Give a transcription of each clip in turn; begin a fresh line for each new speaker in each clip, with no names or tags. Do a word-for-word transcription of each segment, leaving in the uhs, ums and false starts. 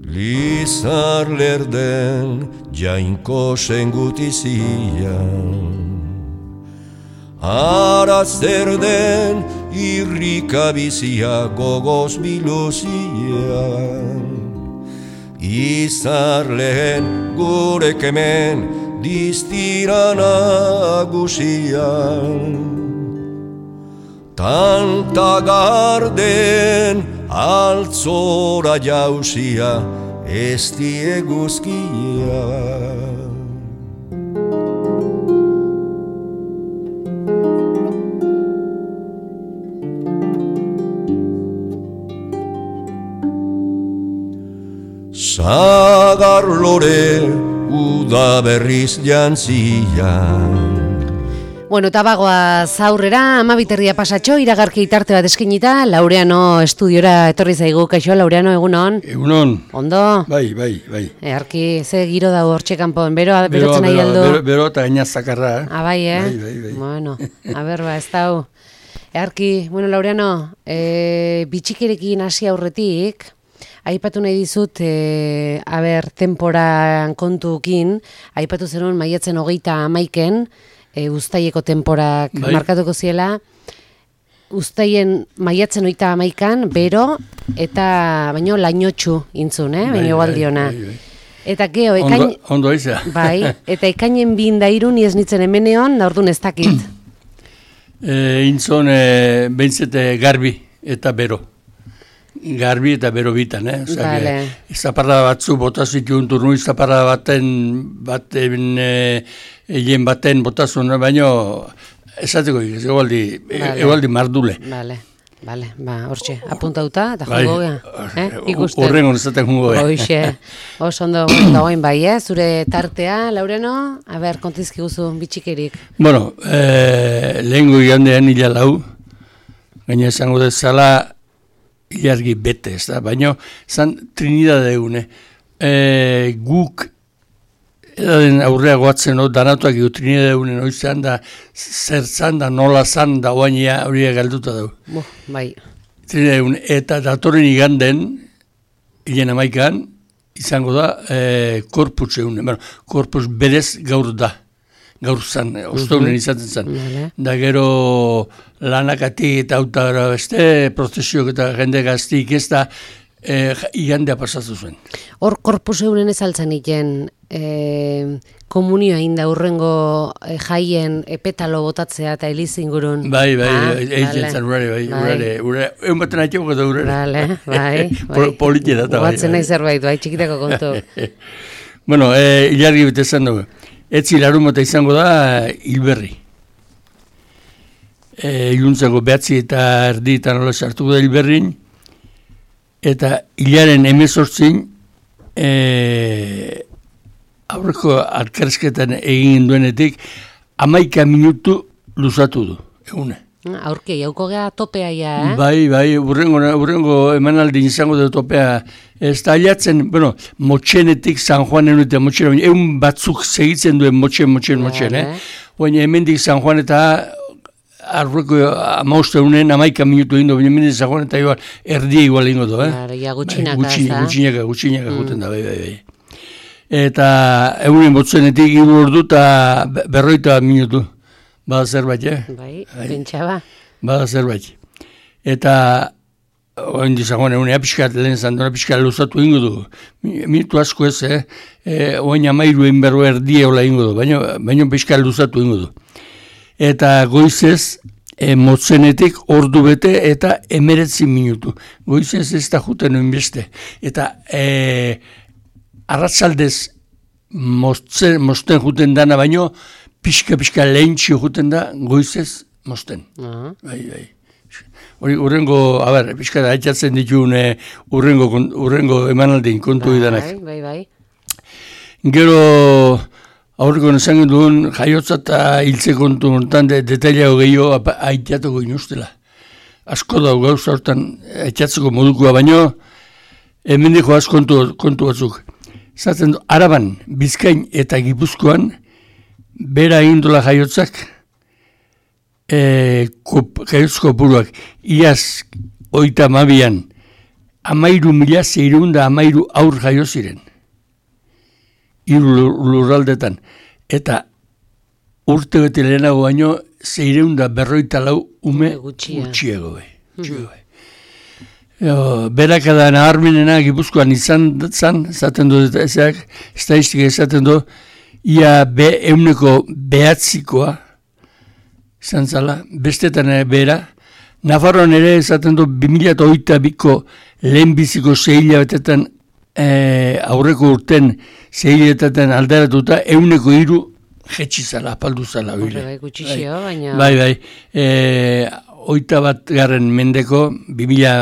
Lizar lerden jainko sengutizian Ara zer den irrika bizia gogoz biluzian Izar lehen gurek hemen diztira nagusian Tanta garden altzora jausia ez dieguzkia Sagar lore uda berriz jantzian
Bueno, eta bagoaz aurrera, amabiterria pasatxo, iragarki itarte bat eskinita, Laureano estudiora etorri zaigu, kaixo, Laureano, egunon?
Egunon.
Ondo?
Bai, bai, bai.
Earki, ze giro dago hortxe kanpoan, bero, berotzen nahi aldo?
Bero, bero eta gaina zakarra, eh?
Ah, bai, eh?
Bai, bai, bai.
Bueno, a ber, ba, ez dau. Earki, bueno, Laureano, e, bitxikerekin hasi aurretik, aipatu nahi dizut, e, a ber, temporan kontukin, aipatu zenuen maiatzen hogeita amaiken, E, Uztaieko temporak bai. Markatuko ziela, Uztaien maiatzen oita amaikan, bero, eta baino lainotxu intzun, eh? Baino baldiona. Bai, bai, bai. Eta geho, ekain...
Ondo, ondo iza.
Bai, eta ekainen bin dairun ez nitzen hemeneon, da orduan ez dakit.
e, intzun, e, behintzete garbi eta bero. Garbi eta bero bitan, eh?
Vale.
Zaparra batzu botazitun turnu, zaparra baten, baten, e, egin baten botazun, baino, esateko, egualdi, vale. Egualdi mardule.
Vale, vale, ba, hortxe, apuntauta, eta jongo gea, eh? Ikusten.
Horrengo nezaten jongo gea.
Hoxe, oso ondo, dagoen bai, eh? Zure tartea, Laureno, a ber, kontizki guzu, bitxikerik.
Bueno, eh, lehengo igandean hila lau, gaina esango dezala, ilargi bete, ez da, baina zan Trinidad egune. E, guk edaden aurrea goatzen, no, danatuak egu Trinidad egunen oizan da, zertzan da, nola zan da oainia horiek galduta dugu.
Bo, bai.
Trinidad egune, eta datorren iganden, hilen amaikan, izango da, e, korpus egunen, bueno, korpus berez gaur da. Gaur zan, ostaunen izaten zan.
Vale.
Da gero lanakatik eta auta beste, prozesiok eta jende gaztik ez da e, igandea pasatu zuen.
Hor korpus euren ez altzan iken e, komunioa inda urrengo e, jaien epetalo botatzea eta eliz ingurun.
Bai, bai,
ah,
egin zan urare, bai, urare, urare, egun baten haitxeko eta urare.
Vale, bai, bai.
Politieta eta bai.
Guatzen nahi zerbait, bai, txikitako kontu.
Bueno, e, ilargi bete zan dugu. Etzi larumota izango da hilberri. E, iluntzako behatzi eta erdi eta nola sartuko da hilberrin. Eta hilaren emezortzin e, aurreko alkarsketan egin duenetik amaika minutu luzatu du, egune.
Aurke, jauko geha topea ja, eh?
Bai, bai, urrengo, urrengo emanaldi izango da topea. Ez da aliatzen, bueno, motxenetik San Juanen eta motxen, egun batzuk segitzen duen motxen, motxen, motxen, eh? Baina hemendik San Juan eta aurreko amauste unen amaika minutu egin du, baina hemendik San Juan eta igual, erdia igual egin du, eh?
Claro, ja gutxinaka,
bai,
ez da?
Gutxinaka, gutxinaka mm. juten da, bai, bai, bai. Eta egunen botzenetik iru ordu eta berroita minutu. Bada zerbait, eh?
Bai, pentsa ba.
Bada zerbait. Eta, oen dizagoen, egunea pixkat, lehen zandona pixkat luzatu ingo du. Minutu asko ez, eh? E, oen amairu egin berro erdia hola ingo du, baina, baina pixkat luzatu ingo du. Eta goizez, e, motzenetik ordu bete eta emeretzi minutu. Goizez ez da juten oin beste. Eta, e, arratzaldez, mosten, mosten juten dana, baino, pixka-pixka lehentxio juten da, goizez, mosten. Uh-huh. Bai, bai. Hori, urrengo, a ber, pixka da, haitzatzen ditune urrengo, urrengo emanaldin kontu idanak.
Bai, bai, bai.
Gero, aurreko nesan duen, jaiotza eta hiltze kontu honetan, de, detailago gehiago haitatuko inustela. Asko da, gauza hortan haitatzeko modukoa, baino, hemendiko az kontu, kontu batzuk. Zaten du, Araban, Bizkain eta Gipuzkoan, bera indola jaiotzak, e, kop, jaiotzko buruak, iaz oita mabian, amairu mila zeireun da amairu aur jaio ziren. Hiru lurraldetan. Eta urte bete lehenago baino zeireun da berroita lau ume gutxiego. Berakada nabarmenena Gipuzkoan izan zan, zaten du, ezak, estadistika esaten du, ia be euneko behatzikoa, izan zala, bestetan bera, Nafarroan ere esaten du, bi mila hogeita biko lehenbiziko zehila betetan, e, aurreko urten zehila betetan aldaratuta, euneko hiru jetxi zala, apaldu zala.
Horre bai, gutxixio, baina...
Bai, bai, e, oita bat garren mendeko, bi mila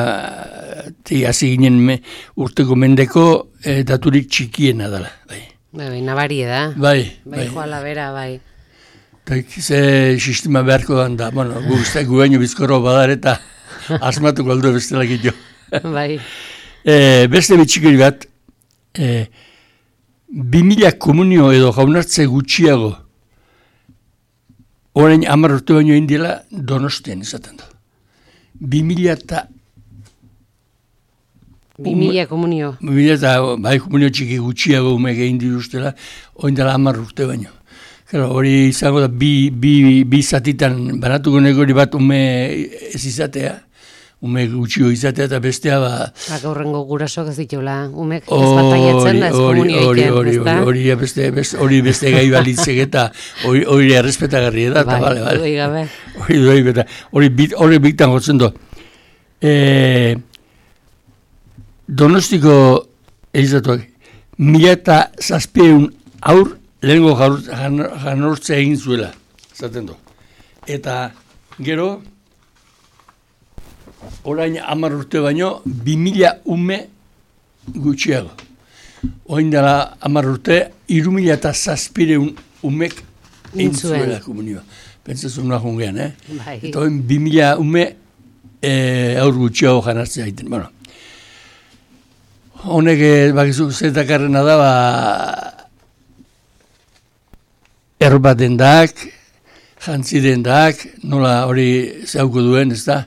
hasi ginen me, urteko mendeko e, daturik txikiena dela. Bai,
bai, bai nabarie da.
Bai,
bai. Bai, joala bera, bai.
Ze sistema beharko da, bueno, gu guztiak gu baino bizkorro badar eta asmatuko aldo bestelak ito.
Bai.
E, beste bitxikeri bat, e, bi mila komunio edo jaunartze gutxiago, orain hamar urte baino indiela Donostian izaten da. Bi mila eta...
Bi mila komunio.
Bi mila eta, bai, komunio txiki gutxiago umek egin dirustela, orain dela hamar urte baino. Claro, hori izango da bi, bi, bi zatitan banatuko negori bat ume ez izatea, ume gutxio izatea eta bestea ba...
Ba, gaurrengo gurasoak ez ditula, umek ez bataiatzen da ez komunio egiten, ez da?
Hori beste, beste, beste gai balitzek eta hori errespetagarri da, eta bale, bale.
Hori gabe.
Hori duei beta, hori bitan gotzen do. E, Donostiko elizatuak, mila eta zazpieun aur lehenko janortzea egin zuela, zaten du. Eta gero, orain hamar urte baino, bi mila ume gutxiago. Orain dela hamar urte, hiru mila eta zazpireun umek egin zuela komunioa. Pentsazun nahi jungean, eh?
Bai.
Eta orain bi mila ume e, aur gutxiago janartzea egiten. Bueno, honek, bakizu, zetakarrena da, ba, erba dendak, jantzi dendak, nola hori zauko duen, ez da,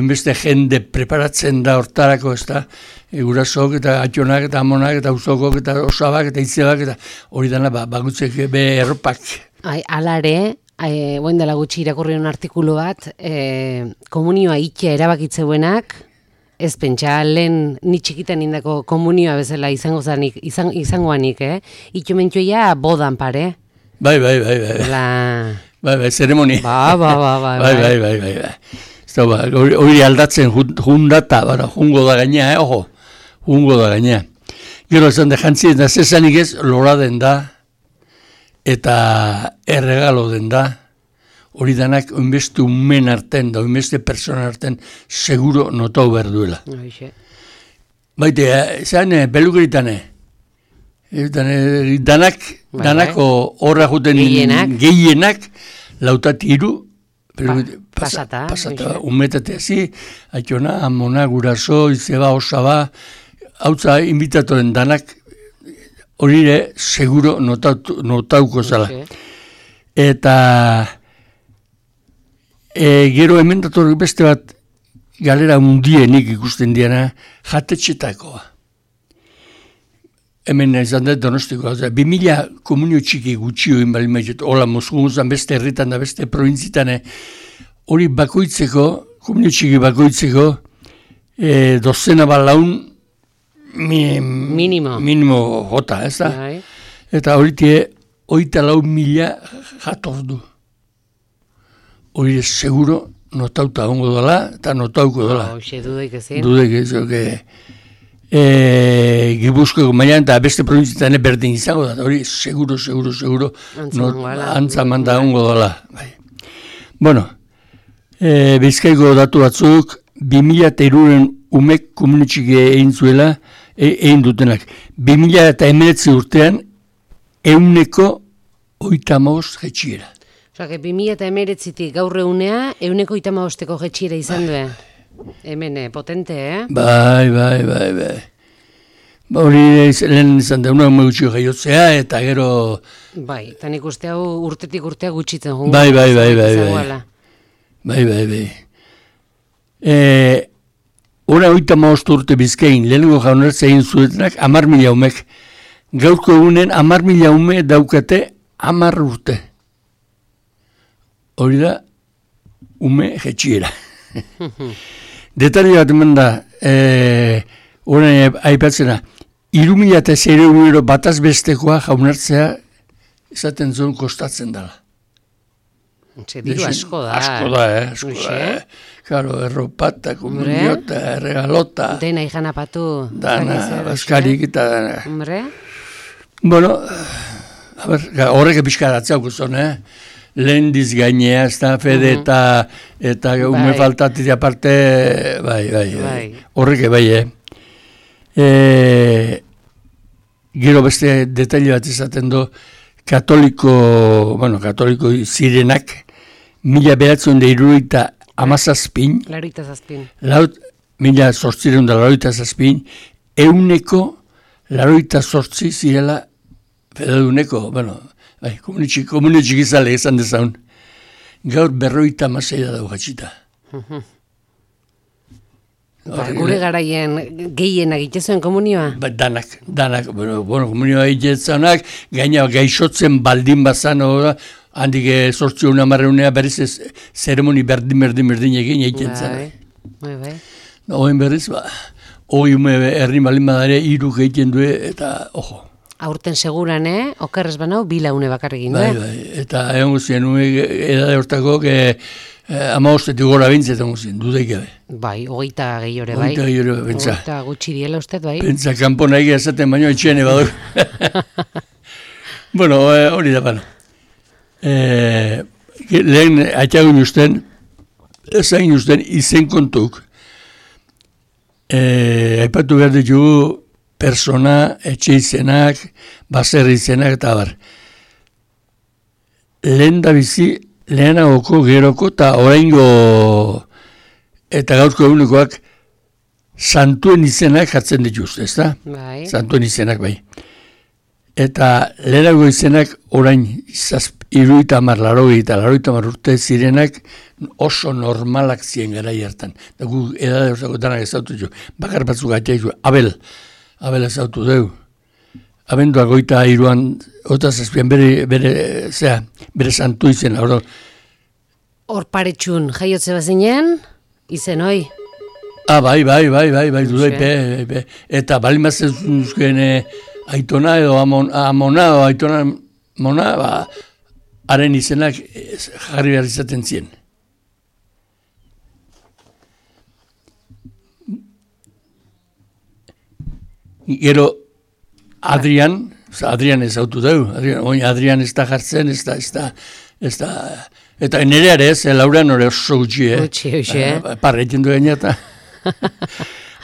beste jende preparatzen da hortarako, ez da, e, gurasok eta atxonak eta amonak eta uzokok eta osabak eta itzebak eta hori dana, ba, bagutzek be erropak.
Ai, alare, e, boin dela gutxi irakurri un artikulu bat, e, komunioa itea erabakitzebuenak, ez pentsa, lehen ni txikitan indako komunioa bezala izango zanik, izan, izangoanik, eh? Ito mentxoia bodan pare.
Bai, bai, bai, bai.
La...
Bai, bai, zeremoni.
Ba, ba, ba, ba,
bai, bai, bai, bai, bai. Eta ba, hori aldatzen jundata, bara, jungo da gaina, eh, ojo, jungo da gaina. Gero esan de jantzien da, zezanik ez, lora den da, eta erregalo den da, hori danak oinbeste umen arten da, oinbeste persona arten, seguro notau behar duela.
Hoxe.
Baite, zean, pelukeritan, danak, bai, danako horra juten gehienak, lautatiru,
pa, pasata,
pasata umetatea zi, atxona, amona, guraso, izeba, osaba, hautza invitatoren danak, horire seguro notauko notau zala. Eta e, gero hemen dator beste bat galera undienik ikusten diana, jatetxetakoa. Hemen izan da Donostiko, bi mila komunio txiki gutxio egin bali maizet, hola Moskugunzan beste herritan da beste provintzitan, hori bakoitzeko, komunio txiki bakoitzeko, e, dozena balaun mi,
minimo.
minimo jota, ez da?
Bai.
Eta hori tie, oita lau mila jator du. Hori seguro notauta ongo dola, eta notauko dola.
Hoxe, dudaik ezin.
Dudaik ez, oke... E, Gipuzkoako mailan eta beste provintzietan berdin izango da, hori seguro, seguro, seguro antzaman da ongo dela. Bai. Bueno, e, Bizkaiko datu batzuk, bi mila eta hiruren umek komunitxik egin zuela, e, egin dutenak. bi mila eta emeretzi urtean, euneko oita maoz jetxiera.
Osa, bi mila eta emeretzitik gaur egunea, euneko oita maozteko jetxiera izan duen. Hemen, potente, eh?
Bai, bai, bai, bai. Ba, hori lehen izan da, una gutxio jaiotzea, eta gero...
Bai, eta nik uste hau urtetik urtea gutxitzen. Jungo,
bai, bai, bai, bai, bai. Bai, bai, bai. E, Hora oita maost urte Bizkain, lehenengo jaunartza egin zuetenak, amar mila umek. Gaurko egunen, amar mila ume daukate, amar urte. Hori da, ume jetxiera. Detari bat eman da, horren aipatzena, iru mila eta zeire euro bataz bestekoa jaunartzea esaten zuen kostatzen dela.
Txe, diru asko da.
Asko da, eh? Asko da, eh? Karo, erropata, komuniota, regalota.
Dena ikan apatu.
Dana, baskarik eta dana.
Hombre?
Bueno, a ber, horrek epizkaratzea guzton, eh? Lehen diz gainea, ez da, fede eta, eta ume faltatik aparte, bai, bai, bai. Horrek bai, eh? E, gero beste detaile bat izaten do, katoliko, bueno, katoliko zirenak, mila beratzen da iruroita amazazpin,
laroita zazpin,
laut, mila sortzireun da laroita zazpin, euneko laroita sortzi zirela fedaduneko, bueno, bai, komunitxik, komunitxik izale esan dezaun, gaur berroita amazai da dago gatxita.
Ba, gure garaien gehien egitezuen komunioa?
Ba, danak, danak, bueno, bueno komunioa egitezaunak, gaina gaixotzen baldin bazan, handik sortzi hona marreunea berriz ez zeremoni berdin, berdin, berdin egin egiten zan.
Bai, bai.
Oen berriz, ba, hoi ume herri baldin badare, iru egiten du eta, ojo.
Aurten seguran, eh? Okerrez banau, bila une bakarrekin,
bai, bai, eta egon guztien, edade hortako, eh, ama ostetik gora bintzetan guztien, dudaik gabe.
Bai, hogeita gehi hori, bai.
Hogeita gehi hori, pentsa.
Hogeita gutxi diela usted, bai.
Pentsa, kanpo nahi ezaten baino etxene badur. Bueno, hori da, bano. Eh, lehen, atxagun usten, ezain usten, izen kontuk. Eh, aipatu behar ditugu, persona, etxe izenak, baserri izenak, eta bar. Lehen da bizi, lehenagoko, geroko, eta oraingo, eta gaurko egunekoak, santuen izenak jartzen dituzte, ez da?
Bai.
Santuen izenak, bai. Eta lehenago izenak, orain, iruita amar, laroi eta laroita amar urte zirenak, oso normalak ziren gara hartan. Da gu, edade osako danak ezautu zu, bakar batzuk atxaizu, Abel, Abel ezautu deu. Abenduak goita iruan, ota zazpian bere, bere, zera, bere santu izen, hor.
Hor paretxun, jaiotze bazinen, izen hoi.
Ah, bai, bai, bai, bai, bai, dudai, pe, pe. Eta bali mazen zuzken aitona edo amon, amona edo aitona mona, ba, haren izenak jarri behar izaten zien. Gero, Adrian, Adrian ez autu deu, Adrian, oin Adrian ez da jartzen, ez da, ez da, ez da, eta nereare ez, Laurean hori oso gutxi, eh?
Gutxi, gutxi, eh?
Parreiten du gaina eta.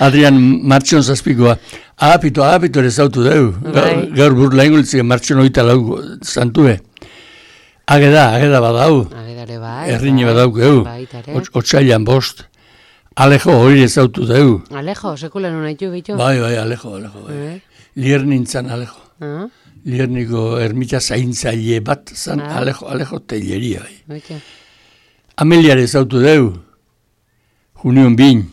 Adrian martxon zazpikoa, ahapito, ahapito ere zautu deu, gaur burla ingulitzik martxon oita lau zantue. Ageda, ageda badau,
Agedare bai,
errine badau geu, otsailan bost. Alejo hori ez autu deu.
Alejo, sekulan unaitu bitu?
Bai, bai, Alejo, Alejo, bai. Lier nintzen Alejo.
Ah.
Lierniko ermita zaintzaile bat zan ah. Alejo, Alejo teileria, bai.
Okay.
Ameliare zautu deu. Junion bin.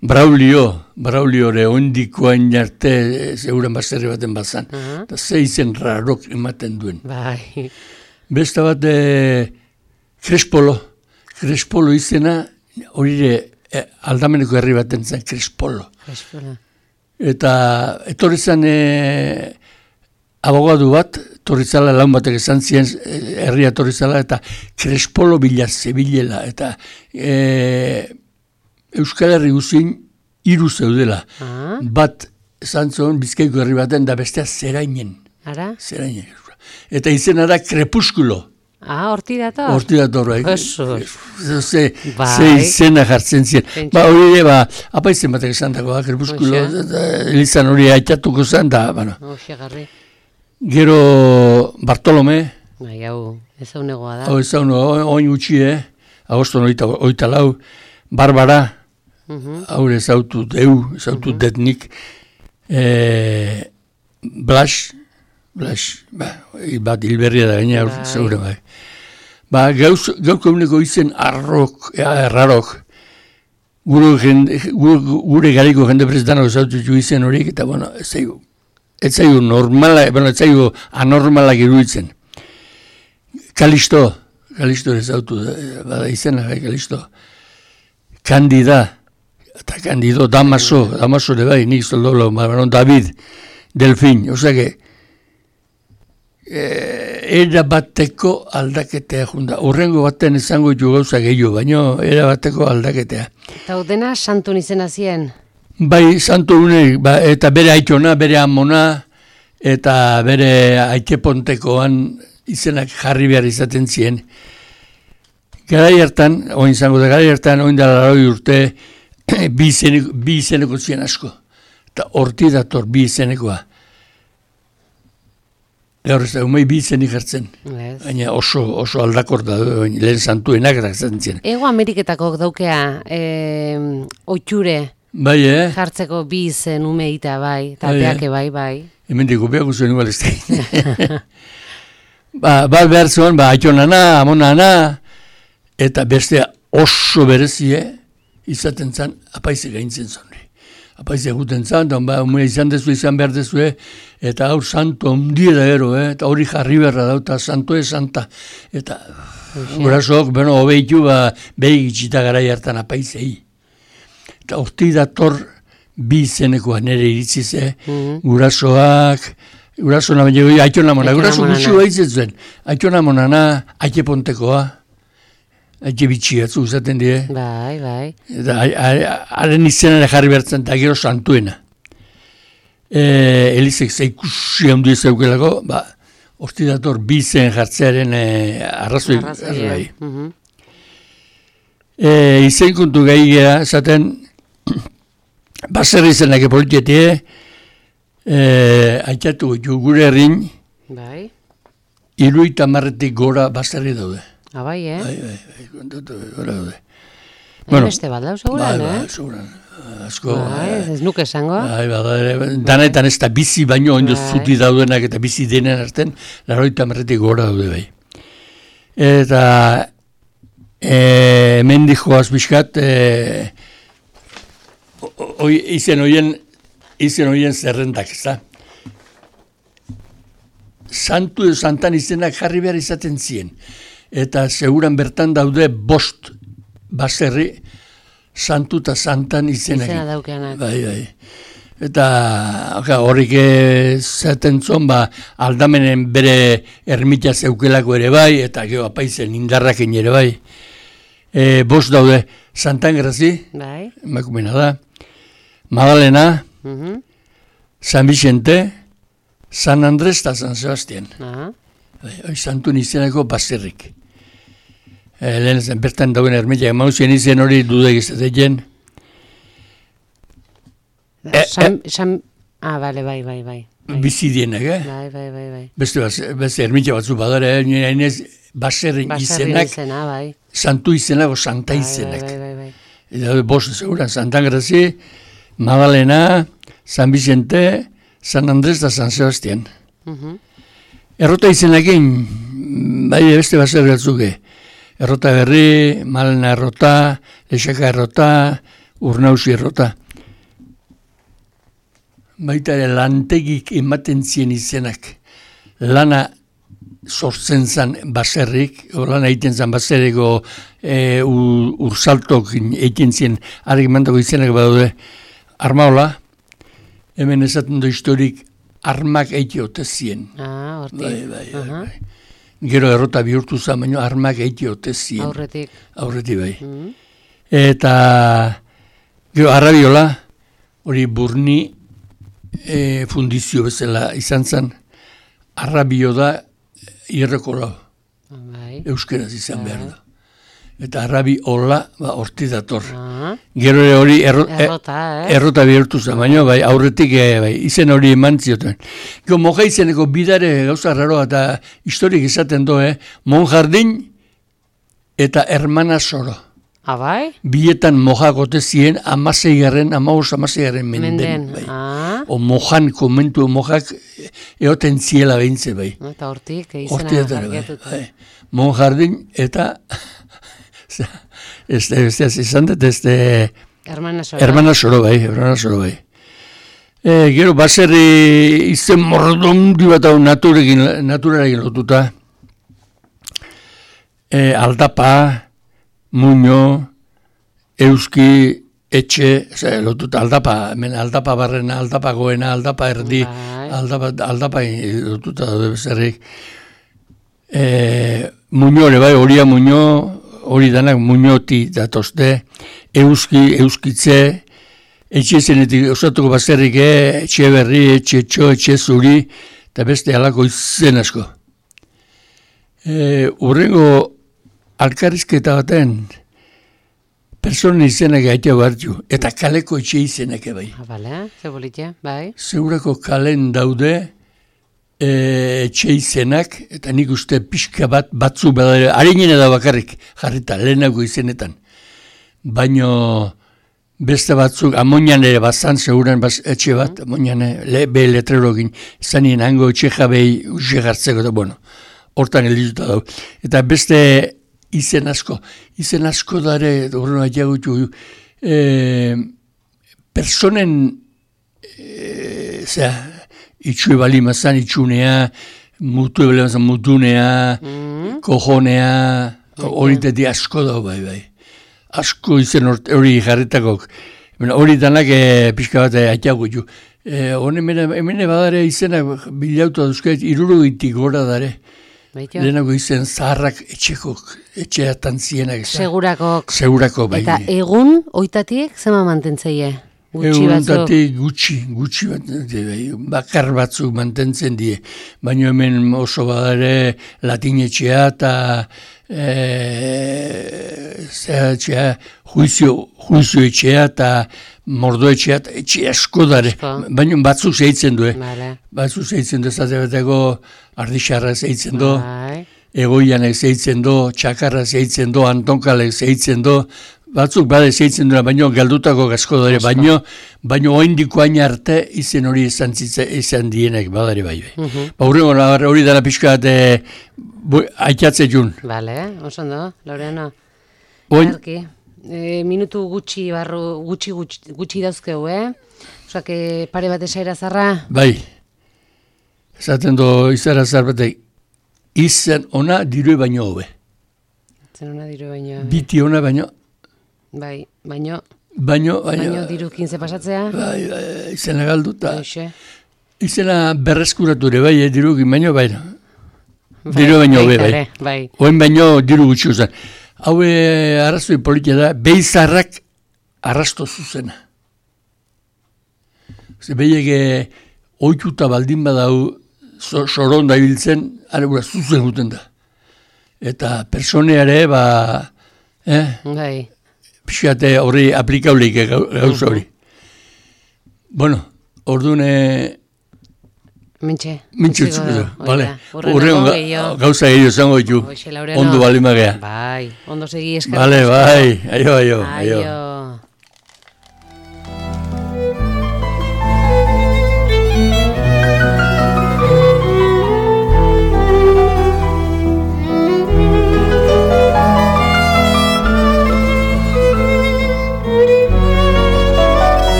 Braulio, Braulio ere ondikoain arte zeuren baserri baten bazan. Uh-huh. Eta zeizen rarok ematen duen.
Bai.
Besta bat e, Crespolo. Crespolo izena hori e, aldameneko herri baten zen Crespolo.
Crespolo.
Eta etorri zen e, abogadu bat, etorri zala laun batek esan zien herria etorri zala, eta Crespolo bila zebilela. Eta e, Euskal Herri guzin hiru zeudela. Ah. Bat esan zuen Bizkaiko herri baten da bestea Zerainen.
Ara?
Zerainen. Eta izena da Krepuskulo.
Ah, horti dator?
Horti dator, bai.
Eso.
Ze, ze izena jartzen ziren. Ba, hori ba, apaizen batek esan dago, Krepuskulo. Elizan hori haitatuko zen, da, bueno.
Oxe,
Gero Bartolome.
Bai, hau, ez hau negoa da.
Hau, ez hau negoa, oin gutxi, eh? Agoston oita, oita lau. Barbara. Uh-huh. Haure zautu deu, zautu uh-huh. detnik. E, Blas. Blas, ba, bat hilberria da gaina bai. Zaure bai. Ba, gauz, gauko eguneko izen arrok, ja, errarok. gure, jende, gure, gure gariko jende prezetan osautu izen horiek, eta bueno, ez zaigu, ez zaigu normala, bueno, ez zaigu anormalak iruditzen. Kalisto, Kalisto ez autu, bada izena, Kalisto. Kandida, eta Kandido, Damaso, Damaso de bai, nik zoldolo, David, Delfin, osea era bateko aldaketea junda. Urrengo baten izango ditu gauza gehiago, baina era bateko aldaketea.
Eta dena santun izena zien?
Bai, santu unek, ba, eta bere aitona, bere amona, eta bere aitepontekoan izenak jarri behar izaten zien. Garai hartan, oin zango da, garai hartan, oin da laroi urte, bi izeneko, bi izeneko zien asko. Eta horti dator bi izenekoa. Gaur ez da, umei bi izenik hartzen. Baina oso, oso aldakor da, lehen santuenak eratzen zien.
Ego Ameriketako daukea, e, oitxure,
bai, eh?
jartzeko bi izen umeita, bai, eta peake, bai, bai.
Hemen diko, peako zuen igual ez da. Ba, bat behar zuen, ba, aitonana, amonana, eta beste oso berezie, izaten zan, apaize gaintzen zuen. Apaize eguten zan, eta ba, umea izan dezu, izan behar dezu, eta aur santo ondiera ero, eh? Eta hori jarri berra da, eta santo ez santa. Eta gurasok, bueno, obeitu, ba, behi gitxita garai hartan apaizei. Eta horti dator bi izenekoa nere iritziz, eh? Gurasoak, guraso namen jego, aiton amona, guraso gutxu haitzen zuen. Aiton amonana, aite pontekoa. Aite bitxiatzu uzaten dire.
Bai, bai.
Eta haren izenare jarri bertzen, eta gero santuena. E, Elizek zeikusi handu ezaukelako, ba, horti dator bi izen jartzearen e, arrazoi. Arrazoi, bai. Uh-huh. E, izen kontu gai gea, esaten, baserri izenak epolitietie, e, aitatu gure herrin,
bai.
Iruita marretik gora baserri daude.
Ah, bai, eh?
Bai, bai, bai, kontatu, gora daude.
Bueno, beste bat lau, seguran,
bai,
eh?
Bai, seguran. Asko.
Bai, ez nuke esango.
Bai, bai, danetan ez da bizi baino, ondo zuti daudenak eta bizi denen arten, laroita marretik gora daude, bai. Eta, e, hemen dijoaz bizkat, e, oi, izen oien, izen oien zerrendak, ez da? Santu edo santan izenak jarri behar izaten zien. Eta seguran bertan daude bost baserri santu eta santan izenak.
Izena daukeanak.
Bai, bai. Eta oka, horrik zaten zon, ba, aldamenen bere ermita zeukelako ere bai, eta gero apaizen indarrakin ere bai. E, bost daude Santan Grazi,
bai.
Emakumena da, Madalena,
uh-huh.
San Vicente, San Andres eta San Sebastian.
Uh-huh.
Bai, santun izeneko baserrik. E, lehen zen, bertan dauen ermitak, mauzien izen hori dudek izatetzen.
E, san, san, ah, bale, bai, bai, bai.
Bizidienak, eh?
Bai, bai, bai, bai.
Beste, beste ermitak batzu badara, eh? Hainez, baserrin izenak,
izena, bai.
santu izenako santa izenak.
Bai, bai, bai, bai.
Eta bost seguran, Santan Grazi, Madalena, San Vicente, San Andres eta San Sebastian.
Uh-huh.
Errota izenakin, bai beste baserri batzuke. Errota Berri, Malena errota, Lexaka errota, Urnauzi errota. Baita ere lantegik ematen zien izenak. Lana sortzen zan baserrik, o lana egiten zan baserriko e, ursaltok egiten zien, argi mantako izenak badaude, Armaola, hemen esaten du historik, armak eiti ote zien.
Ah, hortik.
Bai, bai, bai, uh-huh. bai. Gero errota bihurtu zen, baina armak eiti ote zien.
Aurretik.
Aurretik, bai.
Uh-huh.
Eta, gero, Arrabiola, hori Burni e, fundizio bezala izan zen, Arrabio da irrekola.
Bai.
Euskeraz izan behar da. Eta Arrabiola, ba, horti dator.
Uh-huh.
Gero hori erro,
errota, eh?
errota bihurtu zen, baina bai, aurretik e, bai, izen hori eman zioten. Gero, moja izeneko bidare gauza raroa eta historik izaten do, eh? Monjardin eta Hermana Soro.
Ah, bai?
Bietan moja gote zien amaseigarren, amaus amaseigarren menden.
Menden,
Bai.
ah.
O mojan, komentu mojak eoten ziela behintze, bai.
Eta hortik, izena jarriatuta.
Bai. Monjardin eta... Ez da, ez da, izan dut, ez da,
Hermana Soro.
Hermana Soro bai, Hermana Soro bai. E, gero, baserri izen mordondi bat hau naturekin, naturarekin lotuta. E, aldapa, muño, euski, etxe, ze, lotuta aldapa, hemen aldapa barrena, aldapa goena, aldapa erdi,
Bai.
aldapa, aldapa lotuta daude bezerrik. E, muño ere bai, horia muño, hori danak muñoti datozte, euski, euskitze, etxe zenetik osatuko bazterrik, etxe berri, etxe txo, etxe zuri, eta beste halako izen asko. E, urrengo alkarrizketa baten, personen izenak gaitea hartu, eta kaleko etxe izenak bai.
Ah, bale, ze politia, bai.
Zeurako kalen daude e, etxe izenak, eta nik uste pixka bat batzu badare, harinena da bakarrik jarrita, lehenako izenetan. Baino beste batzuk, amonian ere bazan, seguran baz, etxe bat, mm. amonian le, be letrerokin, zanien hango etxe jabei uxe gartzeko, eta bueno, hortan elituta dau. Eta beste izen asko, izen asko dare, horren aiagutu, e, personen, e, zera, itxue bali mazan, itxunea, mutu ebele mazan, mutunea, mm. kojonea, horitetik asko dau bai bai. Asko izen hori jarritakok. Hori danak e, pixka bat aiagutu. E, hemen badare izenak bilautu duzket, irurugitik gora dare. Lehenako izen zaharrak etxekok, etxeatan zienak.
Segurakok.
Segurako, bai.
Eta egun, oitatik, zema mantentzeie? Gutxi batzuk?
Egun gutxi, gutxi bat, bai, bakar batzuk mantentzen die. Baina hemen oso badare latinetxea eta e, zera, juizio, juizio etxea eta mordo etxea, etxe asko dare. Baina batzuk zeitzen du, eh?
Vale.
Batzuk zeitzen du, zate bateko ardixarra zeitzen du,
Bai.
egoianek zeitzen du, txakarra zeitzen du, antonkalek zeitzen du, batzuk bade zeitzen duena, baino galdutako asko dare, baino, baino oindiko hain arte izen hori izan, zitza, izan dienek badare bai. Uh -huh. Ba, hurrengo, hori dara pixka bat e, aitatze jun.
Bale, oso ondo, Laureano.
Oin,
E, minutu gutxi barru, gutxi gutxi, gutxi dauzkeu, eh? Osak, e, pare bat esaira zarra?
bai, esaten do izara zarbatek, izan ona dirue baino hobe.
Zen ona diru baino.
Biti ona baino,
Bai, baino,
baino, baino,
baino diru kinze pasatzea?
bai, bai, izena galduta.
Hoxe.
Izena berreskuratu ere bai, eh, dirukin baino, baino. Diru baino hobe, bai.
Bai.
Oen baino diru gutxi uzan. Hau arrazoi politia da, beizarrak arrasto zuzena. Ze behiek oituta baldin badau soron da ibiltzen, aregura zuzen guten da. Eta personeare, ba, eh?
Bai.
Pixate horri aplikauleik gauza hori. Bueno, ordune...
Mintxe.
Mintxe utzuko, bale.
Urrengo
gauza gehiago zango ditu. Ondo bali magea.
Bai, ondo segi eskerrik.
Bale, bai. Aio, aio.
Aio.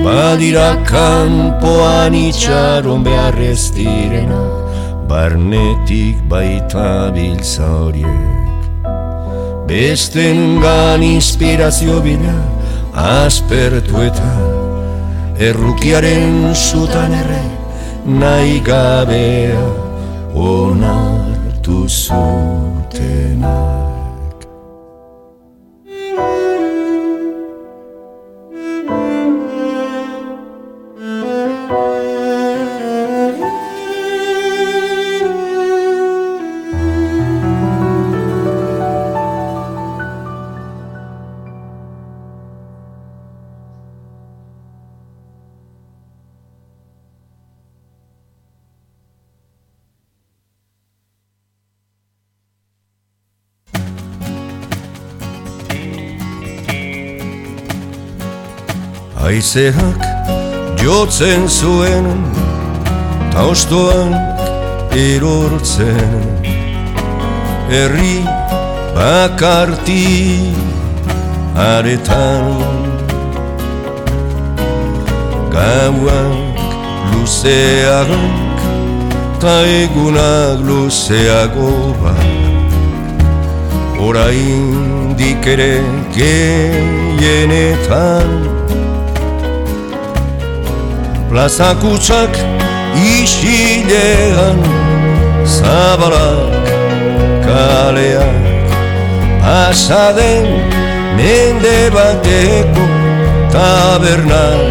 Badira kanpoan itxaron beharrez direna, barnetik baita biltza horiek. Bestengan inspirazio bila aspertu eta errukiaren zutan erre nahi gabea onartu zutenak. Haizeak jotzen zuen, ta ostoak erortzen, herri bakarti aretan. Gauak luzeak, ta egunak luzeagoak, oraindik ere gehienetan. Plazakutsak isilean, zabalak kaleak, pasaden mende bateko tabernak.